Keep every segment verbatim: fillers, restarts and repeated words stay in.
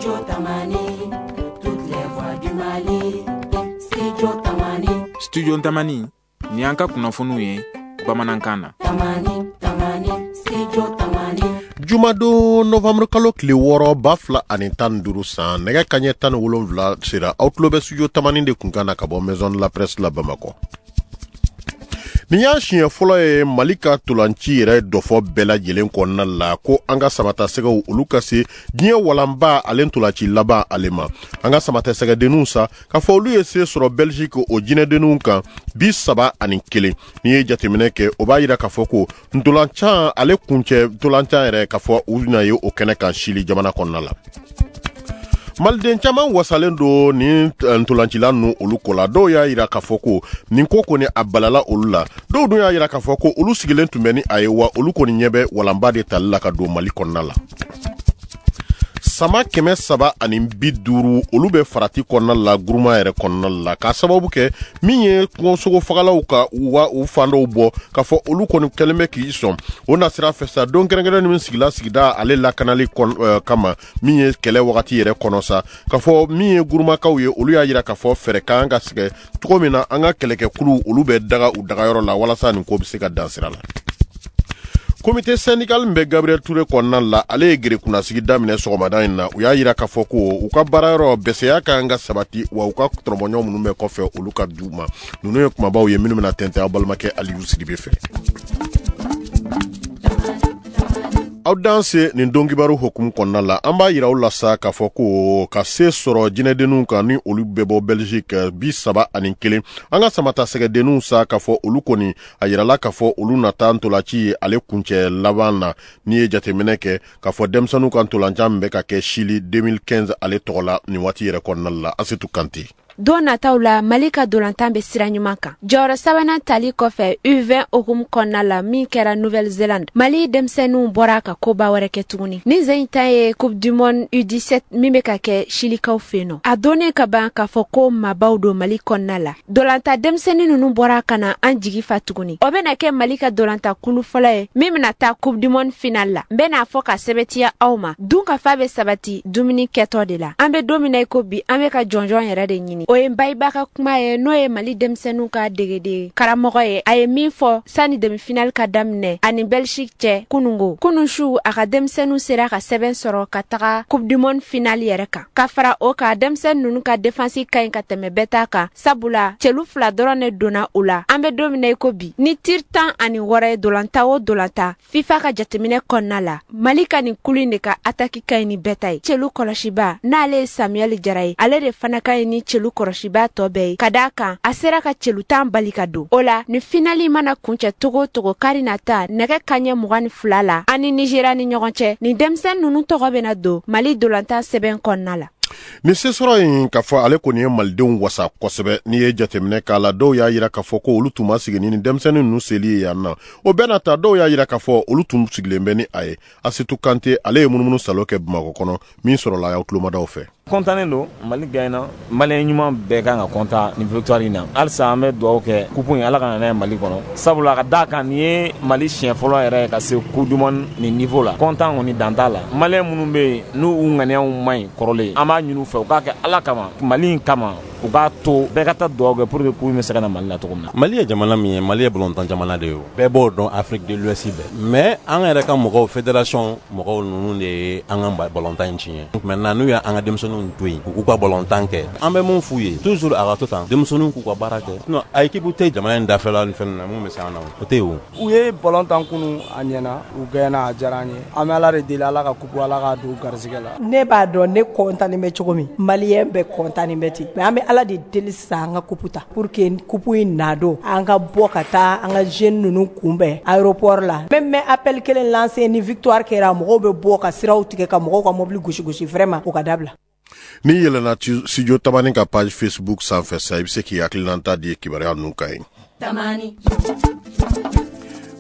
Studio Tamani, toutes les voix du Mali. Studio Tamani. Studio Tamani, ni an ka kunnafoniw ye bamanankan na. Tamani, Tamani, Studio Tamani. Jumadon novembre kalo tile wɔɔrɔ ba fila ani tan ni duuru san, nɛgɛ kaɲɛ tan ni wolonwula sera. Aw tulo bɛ Studio Tamani de kunkan na ka bɔ Maison de la Presse la Bamakɔ. Nin y'a siɲɛ fɔlɔ ye Mali ka tolanci yɛrɛ dɔfɔ bɛɛ lajɛlen kɔnɔna la ko an ka samatasɛgɛw olu ka se diɲɛ walanba ale tolanci laban ale ma. An ka samatasɛgɛdenninw sa k'a fɔ olu ye se sɔrɔ Belgique o jinɛdenninw kan bi saba ani kelen. N'i ye jateminɛ kɛ, o b'a yira k'a fɔ ko ntolancan ale kuncɛ ntolancan yɛrɛ k'a fɔ u bɛna ye o kɛnɛ kan Chili jamana kɔnɔna la. Maliden caman wasalen don ni ntolancila ninnu olu ko la. Dɔw y'a yira k'a fɔ ko nin ko kɔni a balala olu la. Dɔw dun y'a yira k'a fɔ ko olu sigilen tun bɛ ni a ye, wa olu kɔni ɲɛ bɛ walanba de tali la ka don Mali kɔnɔna la. Sama kɛmɛ saba ani bi duuru olu bɛ farati kɔnɔna la guruma yɛrɛ kɔnɔna la, k'a sababu kɛ min ye kungosogo fagalaw ka u u fan dɔw bɔ k'a fɔ olu kɔni kɛlen bɛ k'i sɔn o nasira fɛ sa. Don kɛrɛnkɛrɛn min sigila sigida ale lakanali kama min ye kɛlɛ wagati yɛrɛ kɔnɔ sa, k'a fɔ min ye gurumakaw ye, olu y'a yira k'a fɔ fɛɛrɛ kan ka sigi cogo min na an ka kɛlɛkɛkulu olu bɛ daga u dagayɔrɔ la walasa nin ko bɛ se ka dan sira la. Comité syndical min bɛ Gabriel Touré kɔnɔna la, ale ye gere kunnasigi daminɛ sɔgɔmada in na. U y'a yira k'a fɔ ko u ka baarayɔrɔ bɛsɛya ka kan ka sabati, wa u ka tɔnɔbɔɲɔ minnu bɛ kɔfɛ olu ka d'u ma. Ninnu ye kumabaw ye minnu bɛna tɛntɛn aw balimakɛ Aliyu Sidibe fɛ. Aw danse nin don kibaru hukumu kɔnɔna la, an b'a yira aw la sa k'a fɔ ko ka se sɔrɔ jinɛdenninw kan ni olu bɛ bɔ Belgique bi saba ani kelen. An ka samatasɛgɛdenninw sa k'a fɔ olu kɔni a yirala k'a fɔ olu nata ntolanci ye ale kuncɛ laban na. N'i ye jateminɛ kɛ k'a fɔ denmisɛnninw ka ntolancan min bɛ ka kɛ Chili deux mille quinze ale tɔgɔ la nin waati yɛrɛ kɔnɔna la. Asetu Kante. Don nataw la, Mali ka dolantan bɛ sira ɲuman kan. Jɔyɔrɔ sabanan tali kɔfɛ U vingt hukumu kɔnɔna la min kɛra Nouvelle-Zélande, Mali denmisɛnninw bɔra ka koba wɛrɛ kɛ tuguni. Ni zen ta ye Coupe du Monde U dix-sept min bɛ ka kɛ Chilikaw fɛ yen nɔ. A donnen ka ban k'a fɔ ko maabaw don Mali kɔnɔna la. Dolantan denmisɛnnin ninnu bɔra ka na an jigi fa tuguni. O bɛna kɛ Mali ka dolantan kulu fɔlɔ ye min bɛna taa Coupe du Monde finale la. N bɛna fɔ ka sɛbɛntiya aw ma, dunkafa bɛ sabati dumuni kɛtɔ de la. An bɛ don min na i ko bi, an bɛ ka jɔnjɔn yɛrɛ de ɲini. O ye Bayiba ka kuma ye, n'o ye Mali denmisɛnninw ka degeden karamɔgɔ ye. A ye min fɔ sani demi-finale ka daminɛ ani Belgique cɛ kunungo. Kunun su a ka denmisɛnninw sera ka sɛbɛn sɔrɔ ka taga Coupe du Monde finale yɛrɛ kan. Ka fara o kan, denmisɛnnin ninnu ka défense ka ɲi ka tɛmɛ bɛɛ ta kan, sabula cɛlu fila dɔrɔn de donna u la. An bɛ don min na i ko bi, ni tir tan ani wɔɔrɔ ye dolantan o dolantan FIFA ka jateminɛ kɔnɔna la, Mali ka nin kulu in de ka attaque ka ɲi ni bɛɛ ta ye. Cɛlu kɔlɔsiba n'ale ye Samuel Jara ye, ale de fana ka ɲi ni cɛlu kɔlɔsiba tɔ bɛɛ ye, ka d'a kan a sera ka cɛlu tan bali ka don o la. Ni finali mana kuncɛ togo togo kari nata nɛgɛ kaɲɛ mugan ni fila la ani Nigéria ni ɲɔgɔn cɛ, nin denmisɛnnin ninnu tɔgɔ bɛna don Mali dolantan sɛbɛn kɔnɔna la. Ni se sɔrɔ in k'a fɔ ale kɔni ye malidenw wasa kosɛbɛ. N'i ye jateminɛ k'a la, dɔw y'a yira k'a fɔ ko olu tun ma sigi ni denmisɛnnin ninnu seli ye yan nɔ. O bɛɛ n'a ta, dɔw y'a yira k'a fɔ olu tun sigilen bɛ ni a ye. Asetu Kante ale ye munumunu salo kɛ Bamakɔ kɔnɔ min sɔrɔla aw tulomadaw fɛ. Kɔntannen don, Mali gagné, Malien ɲuman bɛɛ kan ka kɔntan nin victoire in na. Halisa an bɛ dugawu kɛ coupe in Ala ka na n'a ye Mali kɔnɔ, sabula ka d'a kan nin ye Mali siɲɛ fɔlɔ yɛrɛ ka se coupe du monde nin niveau la. Kɔntan kɔni dan t'a la. Malien minnu bɛ yen n'u u ŋaniyaw man ɲi kɔrɔlen, an b'a ɲini u fɛ u k'a kɛ Ala kama, Mali in kama, u k'a to bɛɛ ka taa dugawu kɛ pour que coupe in bɛ se ka na Mali la cogo min na. Mali ye jamana min ye, Mali ye balontan jamana de ye, o bɛɛ b'o dɔn Afrique de l'Ouest bɛɛ. Mais an yɛrɛ ka mɔgɔw, fédération mɔgɔw ninnu de ye an ka balontan in tiɲɛ. Maintenant n'u y'an ka denmisɛnninw to yen u k'u ka balontan kɛ, an bɛ mun f'u ye toujours, a ka to tan denmisɛnninw k'u ka baara kɛ. Sinon a équipe tɛ jamana in dafɛla ni fɛn na mun bɛ se an na, o tɛ yen o. U ye balontan kunu, a ɲɛna, u gagné, a diyara an ye. An bɛ Ala de deli, Ala ka coupe Ala k'a don garisɛgɛ la. Ne b'a dɔn ne kɔntannen bɛ cogo min, Malien bɛɛ kɔntannen bɛ ten, mais an bɛ Ala de deli sisan an ka coupe ta pour que coupe in na don an ka bɔ ka taa an ka jeunes ninnu kunbɛn aéroport la. Même mais appel kelen lancer ni victoire kɛra, mɔgɔw bɛ bɔ ka siraw tigɛ ka mɔgɔw ka mobili gosi gosi, vraiment o ka dabila. N'i yɛlɛnna Studio Tamani ka page Facebook sanfɛ sa, i bɛ se k'i hakilinata di kibaruya ninnu kan yen. Tamani.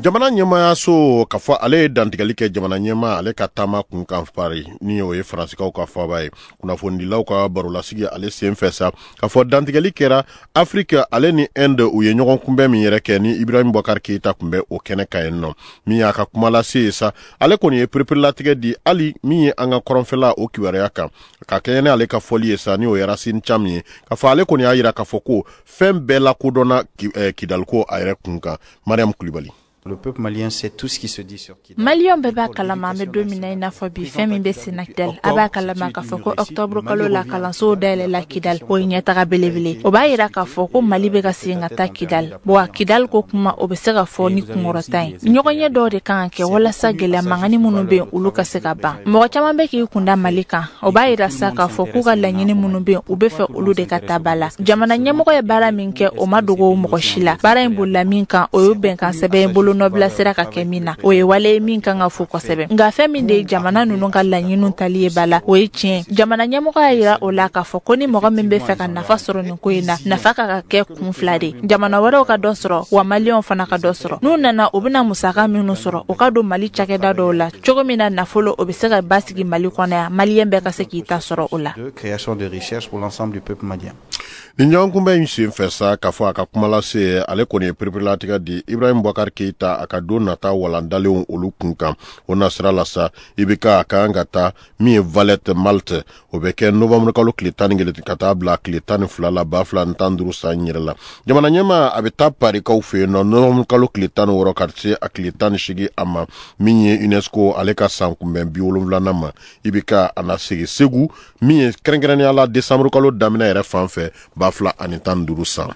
Jamana ɲɛmaayaso k'a fɔ ale ye dantigɛli kɛ jamana ɲɛmaa ale ka taama kun kan Paris, ni o ye Faransikaw ka faaba ye. Kunnafonidilaw ka barolasigi ale sen fɛ sa, k'a fɔ dantigɛli kɛra Afrique ale ni Inde, u ye ɲɔgɔn kunbɛn min yɛrɛ kɛ ni Ibrahim Boubacar Keïta tun bɛ o kɛnɛ kan yen nɔ. Min y'a ka kuma lase ye sa, ale kɔni ye pereperelatigɛ di hali min ye an ka kɔrɔnfɛla o kibaruya kan, ka kɛɲɛ ni ale ka fɔli ye sa, ni o ye Racine Thiam ye, k'a fɔ ale kɔni y'a yira k'a fɔ ko fɛn bɛɛ lakodɔnna Kidaliko a yɛrɛ kun kan. Mariam Kulibali. Le peuple malien sait tout ce qui se dit sur Kidal. Maliyɛnw bɛɛ b'a kalama an bɛ don min na i n'a fɔ bi fɛn min bɛ senna Kidal. A b'a kalama k'a fɔ ko octobre kalo la kalansow dayɛlɛla Kidal, o ye ɲɛtaga belebele. O b'a yira k'a fɔ ko Mali bɛ ka segin ka taa Kidal. Wa Kidal ko kuma o bɛ se ka fɔ ni kunkɔrɔta ye. Ɲɔgɔnye dɔw de kan ka kɛ walasa gɛlɛya mankanni minnu bɛ yen olu ka se ka ban. Mɔgɔ caman bɛ k'i kunda Mali kan. O b'a yira sa k'a fɔ k'u ka laɲini minnu bɛ yen u bɛ fɛ olu de ka taa ba la. Jamana ɲɛmɔgɔ ye baara min kɛ o ma dogo mɔgɔ si la. Baara in bolila min kan o ye bɛnkan sɛbɛn ye bolo nɔbila sera ka kɛ min na, o ye wale min kan ka fo kosɛbɛ. Nka fɛn min de ye jamana ninnu ka laɲiniw tali ye ba la, o ye tiɲɛ. Jamana ɲɛmɔgɔ y'a yira o la k'a fɔ ko ni mɔgɔ min bɛ fɛ ka nafa sɔrɔ nin ko in na, nafa ka ka kɛ kun fila de. Jamana wɛrɛw ka dɔ sɔrɔ, wa maliyɛnw fana ka dɔ sɔrɔ. N'u nana u bɛna musaka minnu sɔrɔ, o ka don Mali cakɛda dɔw la cogo min na nafolo o bɛ se ka basigi Mali kɔnɔ yan, maliyɛn bɛɛ ka se k'i ta sɔrɔ o la. Création de richesse pour l'ensemble du peuple malien. Ni ɲɔgɔn kunbɛn in sen fɛ sa, k'a fɔ a ka kuma lase ale kɔni ye pereperelatigɛ di Ibrahim Boubacar Keïta a ka don nata walandalenw olu kun kan. O nasira la sa, I B K a kan ka taa min ye Valette Malte, o bɛ kɛ novembre kalo tile tan ni kelen ka taa bila tile tan ni fila la ba fila ni tan duuru san yɛrɛ la. Jamana ɲɛmaa a bɛ taa Parikaw fɛ yen nɔ novembre kalo tile tan ni wɔɔrɔ ka se a tile tan ni seegin a ma, min ye UNESCO ale ka san kunbɛn bi wolonwulanan ma. I B K a na segin Segu min ye kɛrɛnkɛrɛnnenya la décembre kalo daminɛ yɛrɛ fan fɛ ba fila ani tan duuru san.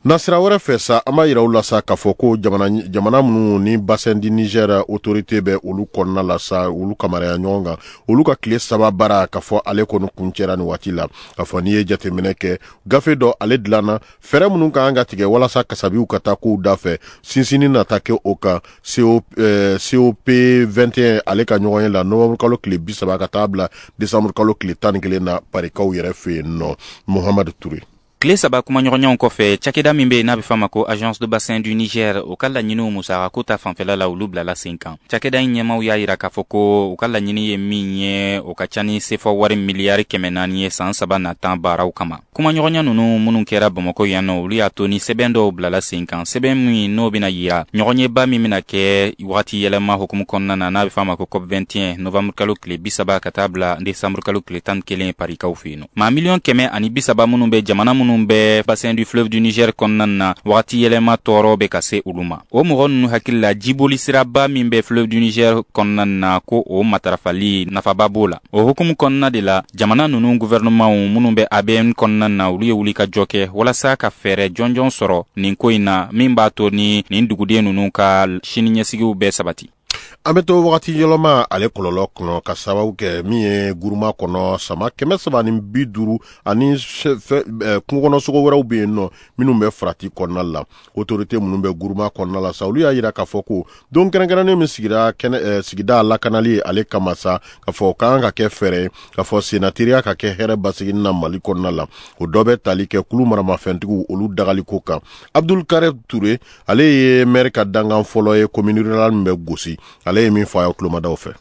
Nasira wɛrɛ fɛ sa, an b'a yira u la sa k'a fɔ ko jamana jamana minnu ni bassin du Niger autorité bɛ olu kɔnɔna la sa, olu kamaraya ɲɔgɔn kan, olu ka tile saba baara k'a fɔ ale kɔni kuncɛra nin waati la. K'a fɔ n'i ye jateminɛ kɛ gafe dɔ ale dilanna, fɛɛrɛ minnu ka kan ka tigɛ walasa kasabiw ka taa kow da fɛ, sinsinni nata kɛ o kan C O P vingt et un ale ka ɲɔgɔn ye la novembre kalo tile bi saba ka taa bila décembre kalo tile tan ni kelen na Parikaw yɛrɛ fɛ yen nɔ. Mohamadu Ture. Tile saba kumaɲɔgɔnɲɔgɔnw kɔfɛ, cakɛda min bɛ yen n'a bɛ f'a ma ko Agence de bassin du Niger, o ka laɲiniw musakako ta fanfɛla la olu bilala sen kan. Cakɛda in ɲɛmaw y'a yira k'a fɔ ko u ka laɲini ye min ye, o ka ca ni sefa wari miliyari kɛmɛ naani ye san saba natan baaraw kama. Kumaɲɔgɔnya ninnu minnu kɛra Bamakɔ yan nɔ, olu y'a to ni sɛbɛn dɔw bilala sen kan, sɛbɛn min n'o bɛna yira ɲɔgɔnyeba min bɛna kɛ wagati yɛlɛma hukumu kɔnɔna na n'a bɛ f'a ma ko COP vingt et un novembre kalo tile bi saba ka taa bila décembre kalo tile tan ni kelen Parikaw fɛ yen nɔ. Maa miliyɔn kɛmɛ ani bi saba minnu bɛ jamana minnu bɛ bassin du fleuve du Niger kɔnɔna na, wagati yɛlɛma tɔɔrɔ bɛ ka se olu ma. O mɔgɔ ninnu hakili la, jiboli siraba min bɛ fleuve du Niger kɔnɔna na, ko o matarafali nafaba b'o la. O hukumu kɔnɔna de la, jamana ninnu gouvernementw minnu bɛ A B N kɔnɔna na, olu ye wuli ka jɔ kɛ walasa ka fɛɛrɛ jɔnjɔn sɔrɔ nin ko in na, min b'a to ni nin duguden ninnu ka siniɲɛsigiw bɛɛ sabati. An bɛ to wagati yɛlɛma ale kɔlɔlɔ kɔnɔ ka sababu kɛ min ye guruma kɔnɔ sama kɛmɛ saba ni bi duuru ani kungo kɔnɔ sogo wɛrɛw bɛ yen nɔ minnu bɛ farati kɔnɔna la. Autorité minnu bɛ guruma kɔnɔna la sa, olu y'a yira k'a fɔ ko don kɛrɛnkɛrɛnnen min sigira kɛnɛ sigida lakanali ale kama sa, k'a fɔ o kan ka kɛ fɛɛrɛ ye k'a fɔ senatiriya ka kɛ hɛrɛ basigi na Mali kɔnɔna la. O dɔ bɛ tali kɛ kulu maramafɛntigiw olu dagaliko kan. Abdul Karim Touré ale ye maire ka dankan fɔlɔ ye commune rurale min bɛ Gosi, ale ye min fɔ a ye kulomadaw fɛ.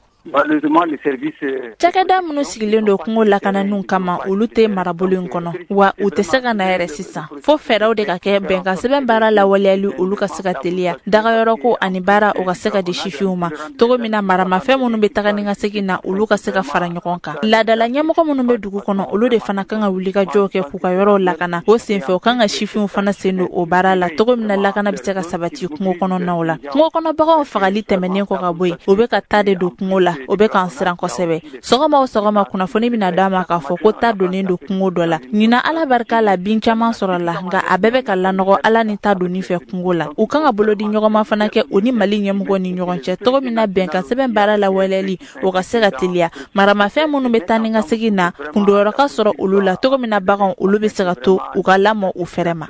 Cakɛda minnu sigilen don kungo lakananiw kama, olu tɛ marabolo in kɔnɔ, wa u tɛ se ka na yɛrɛ sisan. Fo fɛɛrɛw de ka kɛ bɛnkan sɛbɛn baara lawaleyali olu ka se ka teliya, dagayɔrɔko ani baara o ka se ka di sifinw ma cogo min na maramafɛn minnu bɛ taga ni ka segin na olu ka se ka fara ɲɔgɔn kan. Laadala ɲɛmɔgɔ minnu bɛ dugu kɔnɔ, olu de fana kan ka wuli ka jɔw kɛ k'u ka yɔrɔw lakana. O senfɛ u kan ka sifinw fana sen don o baara la cogo min na lakana bɛ se ka sabati kungo kɔnɔnaw la. Kungo kɔnɔ baganw fagali tɛmɛnen kɔ ka bɔ yen, u bɛ ka taa de don kungo la, o bɛ k'an siran kosɛbɛ. Sɔgɔma o sɔgɔma kunnafoni bɛna d'a ma k'a fɔ ko ta donnen don kungo dɔ la. Ɲinan Ala barika la bin caman sɔrɔ la, nka a bɛɛ bɛ ka lanɔgɔ Ala ni ta donni fɛ kungo la. U kan ka bolodi ɲɔgɔnma fana kɛ u ni Mali ɲɛmɔgɔ ni ɲɔgɔn cɛ cogo min na bɛnkan sɛbɛn baara lawaleyali o ka se ka teliya. Maramafɛn minnu bɛ taa ni ka segin na, kundonyɔrɔ ka sɔrɔ olu la cogo min na baganw olu bɛ se ka to u ka lamɔ u fɛrɛ ma.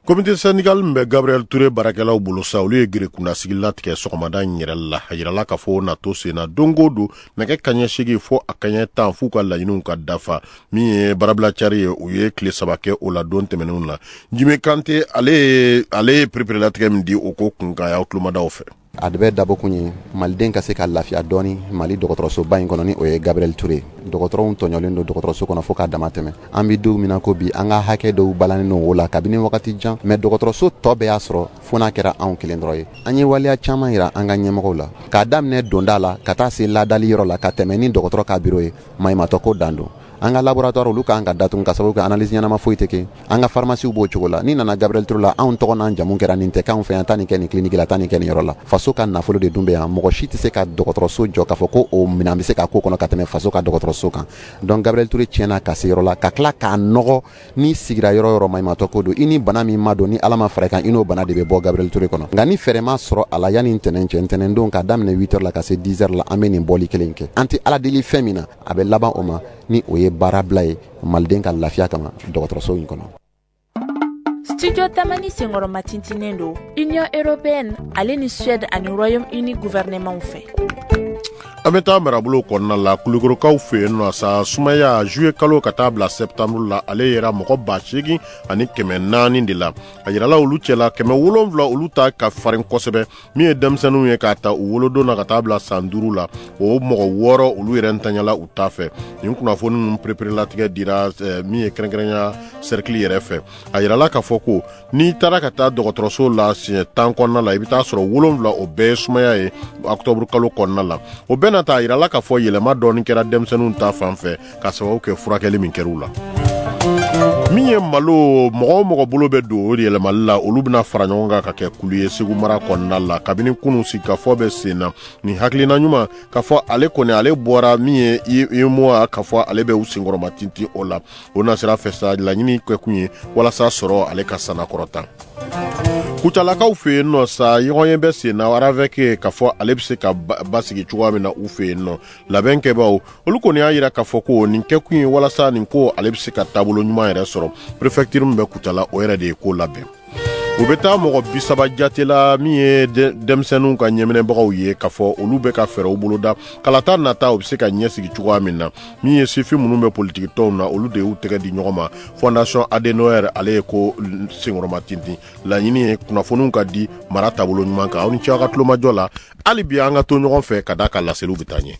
Comité syndical min bɛ Gabriel Touré baarakɛlaw bolo sa, olu ye gere kunnasigi latigɛ sɔgɔmada in yɛrɛ la. A yirala k'a fɔ o natɔ sen na, don o don nɛgɛ kaɲɛ seegin fo a kaɲɛ tan, f'u ka laɲiniw ka dafa. Min ye baarabila cari ye, u ye tile saba kɛ o la don tɛmɛnenw na. Jimi Kante, ale ye ale ye pereperelatigɛ min di o ko kun kan, y'aw tulomadaw fɛ. A de bɛ dabɔkun ye maliden ka se ka lafiya dɔɔni Mali dɔgɔtɔrɔsoba in kɔnɔ, ni o ye Gabriel Touré. Dɔgɔtɔrɔw tɔɲɔlen don dɔgɔtɔrɔso kɔnɔ fo k'a dama tɛmɛ. An bɛ don min na ko bi, an ka hakɛ dɔw balannen don o la kabini wagati jan, mais dɔgɔtɔrɔso tɔ bɛɛ y'a sɔrɔ fo n'a kɛra anw kelen dɔrɔn ye. An ye waleya caman yira an ka ɲɛmɔgɔw la, k'a daminɛ donda la ka taa se ladali yɔrɔ la, ka tɛmɛ ni dɔgɔtɔrɔ ka biro ye, maɲumatɔ ko dan don. An ka laboratoire, olu k'an ka datugu ka sababu kɛ analyse ɲɛnama foyi tɛ kɛ. An ka pharmacie b'o cogo la. N'i nana Gabriel Touré la, anw tɔgɔ n'an jamu kɛra nin tɛ k'anw fɛ yan, taa nin kɛ nin clinique la, taa nin kɛ nin yɔrɔ la. Faso ka nafolo de dun bɛ yan. Mɔgɔ si tɛ se ka dɔgɔtɔrɔso jɔ k'a fɔ ko o minɛn bɛ se ka k'o kɔnɔ ka tɛmɛ faso ka dɔgɔtɔrɔso kan. Donc Gabriel Touré tiɲɛna ka se yɔrɔ la, ka tila k'a nɔgɔ. N'i sigira yɔrɔ yɔrɔ, maɲumatɔ ko don. I ni bana min ma don, ni Ala ma fara i kan, i n'o bana de bɛ bɔ Gabriel Touré kɔnɔ. Nka ni fɛɛrɛ ma sɔrɔ a la yanni ntɛnɛn cɛ, ntɛnɛn don k'a daminɛ huit heures la ka se dix heures la, an bɛ nin bɔli kelen kɛ. An tɛ Ala deli fɛn min na, a bɛ laban o ma, ni o ye baarabila ye maliden ka lafiya kama dɔgɔtɔrɔso in kɔnɔ. Studio Tamani senkɔrɔma tintinen don Union européenne ale ni Suède ani Royaume-Uni gouvernement fɛ. An bɛ taa marabolo kɔnɔna la, Kulukorokaw fɛ yen nɔ sa. Sumaya, juillet kalo ka taa bila septembre la, ale yɛrɛ mɔgɔ ba seegin ani kɛmɛ naani de la. A yirala olu cɛla, kɛmɛ wolonfila olu ta ka farin kosɛbɛ, min ye denmisɛnninw ye k'a ta u wolodon na ka taa bila san duuru la, o mɔgɔ wɔɔrɔ olu yɛrɛ ntanyala u ta fɛ. Nin kunnafoni ninnu pereperelatigɛ dira min ye kɛrɛnkɛrɛnya cercle yɛrɛ fɛ. A yirala k'a fɔ ko n'i taara ka taa dɔgɔtɔrɔso la siɲɛ tan kɔnɔna la, i bɛ taa sɔrɔ wolonfila o bɛɛ ye sumaya ye octobre kalo kɔnɔna la. O bɛɛ n'a ta, a yirala k'a fɔ yɛlɛma dɔɔni kɛra denmisɛnninw ta fan fɛ ka sababu kɛ furakɛli min kɛr'u la. Min ye malo, mɔgɔ o mɔgɔ bolo bɛ don o yɛlɛmali la, olu bɛna fara ɲɔgɔn kan ka kɛ kulu ye Segu mara kɔnɔna la. Kabini kunun, sigikafɔ bɛ sen na. Nin hakilina ɲuman k'a fɔ ale kɔni ale bɔra min ye UEMOA, k'a fɔ ale bɛ u senkɔrɔma tintin o la. O nasira fɛ sa, laɲini kɛkun ye walasa sɔrɔ ale ka sanakɔrɔta. Kucalakaw fɛ yen nɔ sa, ɲɔgɔnye bɛ sen na RAVEC, k'a fɔ ale bɛ se ka basigi cogoya min na u fɛ yen nɔ. Labɛn kɛbaaw olu kɔni y'a yira k'a fɔ ko nin kɛkun ye walasa nin ko ale bɛ se ka taabolo ɲuman yɛrɛ sɔrɔ. Préfecture min bɛ Kucala, o yɛrɛ de ye ko labɛn. U bɛ taa mɔgɔ bi saba jate la, min ye denmisɛnninw ka ɲɛminɛbagaw ye, k'a fɔ olu bɛ ka fɛɛrɛw boloda kalata nata u bɛ se ka ɲɛsigi cogoya min na. Min ye sifin minnu bɛ politiki tɔnw na, olu de y'u tɛgɛ di ɲɔgɔn ma. Fondation Adenauer, ale ye ko senkɔrɔma tintin. Laɲini ye kunnafoniw ka di mara taabolo ɲuman kan. Aw ni ce aw ka tulomajɔ la. Hali bi an ka to ɲɔgɔn fɛ ka d'a ka laseliw bɛ taa ɲɛ.